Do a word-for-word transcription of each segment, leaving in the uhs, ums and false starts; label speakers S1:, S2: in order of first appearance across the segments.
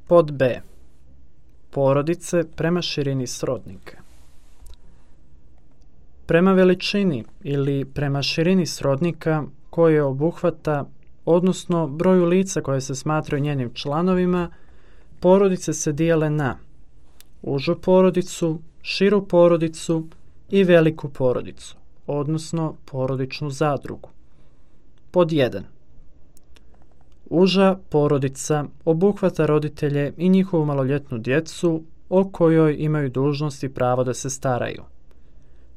S1: Pod B. Porodice prema širini srodnika. Prema veličini ili prema širini srodnika koje obuhvata, odnosno broju lica koje se smatraju njenim članovima, porodice se dijele na užu porodicu, širu porodicu i veliku porodicu, odnosno porodičnu zadrugu. Pod jedan. Uža porodica obuhvata roditelje i njihovu maloljetnu djecu o kojoj imaju dužnost i pravo da se staraju.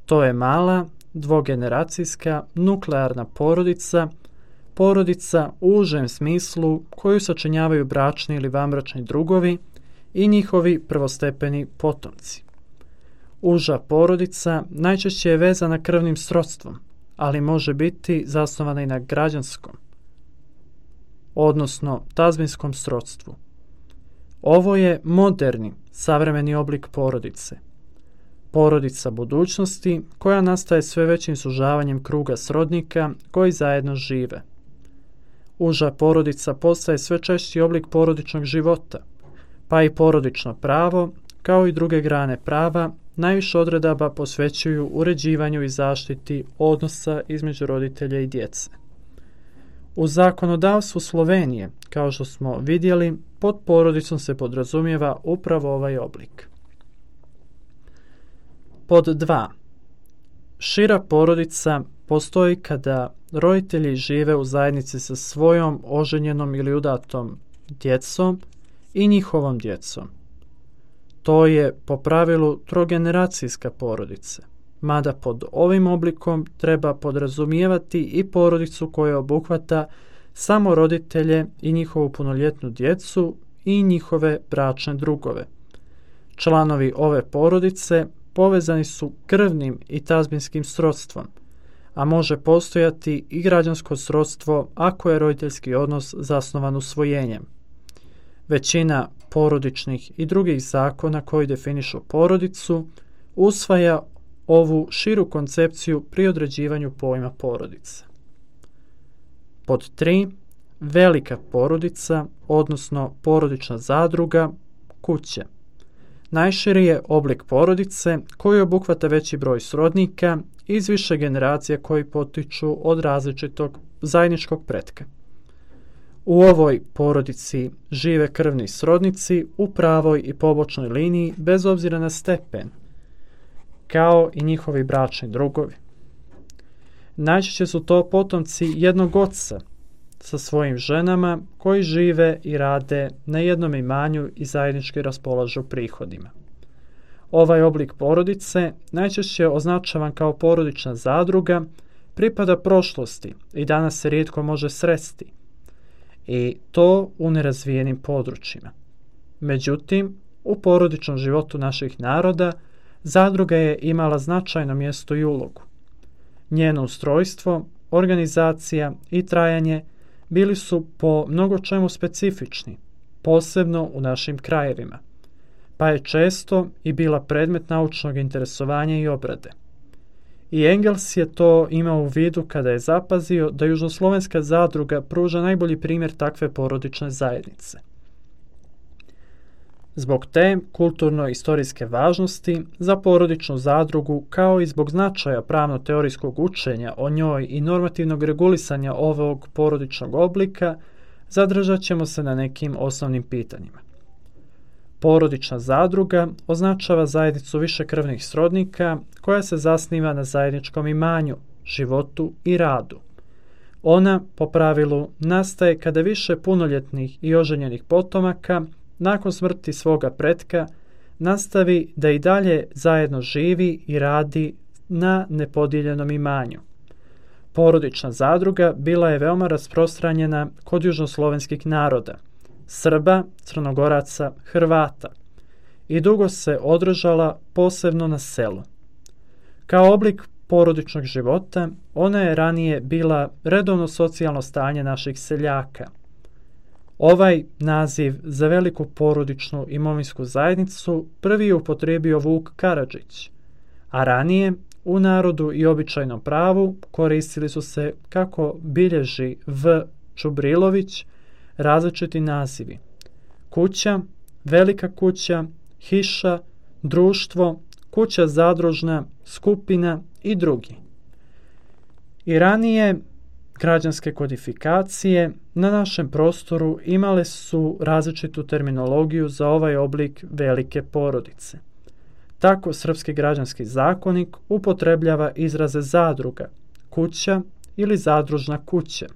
S1: To je mala, dvogeneracijska, nuklearna porodica, porodica u užem smislu koju sačinjavaju bračni ili vanbračni drugovi i njihovi prvostepeni potomci. Uža porodica najčešće je vezana krvnim srodstvom, ali može biti zasnovana i na građanskom, odnosno tazbinskom srodstvu. Ovo je moderni, savremeni oblik porodice. Porodica budućnosti koja nastaje sve većim sužavanjem kruga srodnika koji zajedno žive. Uža porodica postaje sve češći oblik porodičnog života, pa i porodično pravo, kao i druge grane prava, najviše odredaba posvećuju uređivanju i zaštiti odnosa između roditelja i djece. U zakonodavstvu Slovenije, kao što smo vidjeli, pod porodicom se podrazumijeva upravo ovaj oblik. Pod dva. Šira porodica postoji kada roditelji žive u zajednici sa svojom oženjenom ili udatom djecom i njihovom djecom. To je po pravilu trogeneracijska porodica, mada pod ovim oblikom treba podrazumijevati i porodicu koja obuhvata samo roditelje i njihovu punoljetnu djecu i njihove bračne drugove. Članovi ove porodice povezani su krvnim i tazbinskim srodstvom, a može postojati i građansko srodstvo ako je roditeljski odnos zasnovan usvojenjem. Većina porodičnih i drugih zakona koji definišu porodicu usvaja ovu širu koncepciju pri određivanju pojma porodice. Pod tri. Velika porodica, odnosno porodična zadruga, kuća. Najširi je oblik porodice koji obuhvata veći broj srodnika iz više generacija koji potiču od različitog zajedničkog pretka. U ovoj porodici žive krvni srodnici u pravoj i pobočnoj liniji bez obzira na stepen, kao i njihovi bračni drugovi. Najčešće su to potomci jednog oca sa svojim ženama koji žive i rade na jednom imanju i zajednički raspolažu prihodima. Ovaj oblik porodice, najčešće označavan kao porodična zadruga, pripada prošlosti i danas se rijetko može sresti, i to u nerazvijenim područjima. Međutim, u porodičnom životu naših naroda zadruga je imala značajno mjesto i ulogu. Njeno ustrojstvo, organizacija i trajanje bili su po mnogo čemu specifični, posebno u našim krajevima, pa je često i bila predmet naučnog interesovanja i obrade. I Engels je to imao u vidu kada je zapazio da južnoslovenska zadruga pruža najbolji primjer takve porodične zajednice. Zbog te kulturno-istorijske važnosti za porodičnu zadrugu, kao i zbog značaja pravno-teorijskog učenja o njoj i normativnog regulisanja ovog porodičnog oblika, zadržat ćemo se na nekim osnovnim pitanjima. Porodična zadruga označava zajednicu višekrvnih srodnika koja se zasniva na zajedničkom imanju, životu i radu. Ona, po pravilu, nastaje kada više punoljetnih i oženjenih potomaka nakon smrti svoga pretka nastavi da i dalje zajedno živi i radi na nepodijeljenom imanju. Porodična zadruga bila je veoma rasprostranjena kod južnoslovenskih naroda, Srba, Crnogoraca, Hrvata, i dugo se održala posebno na selu. Kao oblik porodičnog života, ona je ranije bila redovno socijalno stanje naših seljaka. Ovaj naziv za veliku porodičnu imovinsku zajednicu prvi je upotrijebio Vuk Karadžić, a ranije u narodu i običajnom pravu koristili su se, kako bilježi V. Čubrilović, različiti nazivi: kuća, velika kuća, hiša, društvo, kuća zadružna, skupina i drugi. I ranije građanske kodifikacije na našem prostoru imale su različitu terminologiju za ovaj oblik velike porodice. Tako Srpski građanski zakonik upotrebljava izraze zadruga, kuća ili zadružna kuća,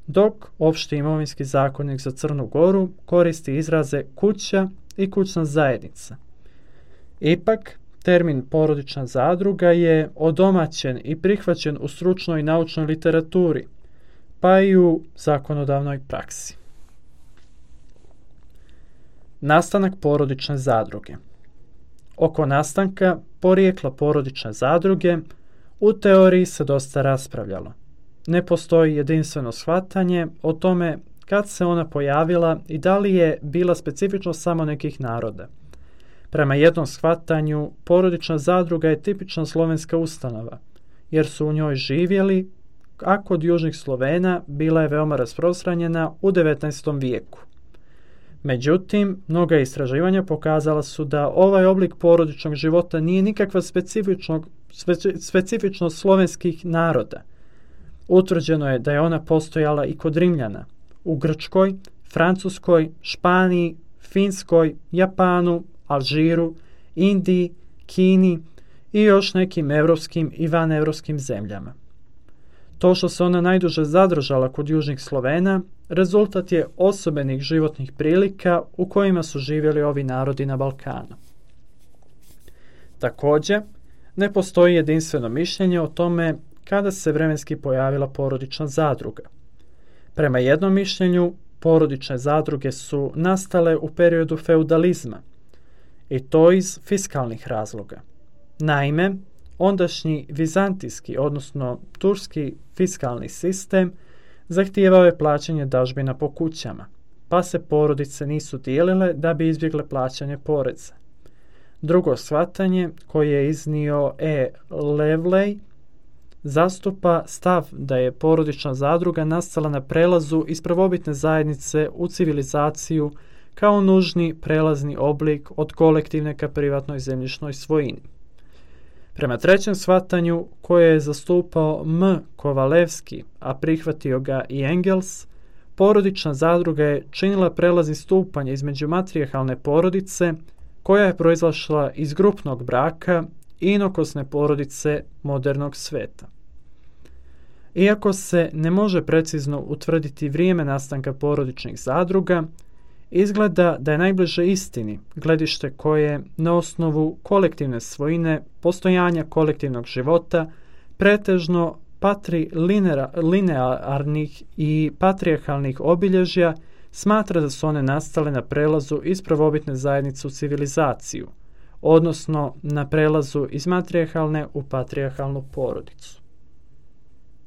S1: dok Opšti imovinski zakonik za Crnu Goru koristi izraze kuća i kućna zajednica. Ipak, termin porodična zadruga je odomaćen i prihvaćen u stručnoj i naučnoj literaturi, pa i u zakonodavnoj praksi. Nastanak porodične zadruge. Oko nastanka porijekla porodične zadruge u teoriji se dosta raspravljalo. Ne postoji jedinstveno shvatanje o tome kad se ona pojavila i da li je bila specifično samo nekih naroda. Prema jednom shvatanju, porodična zadruga je tipična slovenska ustanova, jer su u njoj živjeli, a kod južnih Slovena bila je veoma rasprostranjena u devetnaestom vijeku. Međutim, mnoga istraživanja pokazala su da ovaj oblik porodičnog života nije nikakva specifičnost slovenskih naroda. Utvrđeno je da je ona postojala i kod Rimljana, u Grčkoj, Francuskoj, Španiji, Finskoj, Japanu, Alžiru, Indiji, Kini i još nekim evropskim i vanevropskim zemljama. To što se ona najduže zadržala kod južnih Slovena, rezultat je osobenih životnih prilika u kojima su živjeli ovi narodi na Balkanu. Također, ne postoji jedinstveno mišljenje o tome kada se vremenski pojavila porodična zadruga. Prema jednom mišljenju, porodične zadruge su nastale u periodu feudalizma, i to iz fiskalnih razloga. Naime, ondašnji vizantijski, odnosno turski fiskalni sistem zahtijevao je plaćanje dažbina po kućama, pa se porodice nisu dijelile da bi izbjegle plaćanje poreza. Drugo shvatanje, koje je iznio E. Levley, zastupa stav da je porodična zadruga nastala na prelazu iz prvobitne zajednice u civilizaciju kao nužni prelazni oblik od kolektivne ka privatnoj zemljišnoj svojini. Prema trećem shvatanju, koje je zastupao M. Kovalevski, a prihvatio ga i Engels, porodična zadruga je činila prelazni stupanj između matrijarhalne porodice, koja je proizašla iz grupnog braka i inokosne porodice modernog sveta. Iako se ne može precizno utvrditi vrijeme nastanka porodičnih zadruga, izgleda da je najbliže istini gledište koje na osnovu kolektivne svojine, postojanja kolektivnog života, pretežno patrilinearnih i patrijarhalnih obilježja smatra da su one nastale na prelazu iz prvobitne zajednice u civilizaciju, odnosno na prelazu iz matrijarhalne u patrijarhalnu porodicu.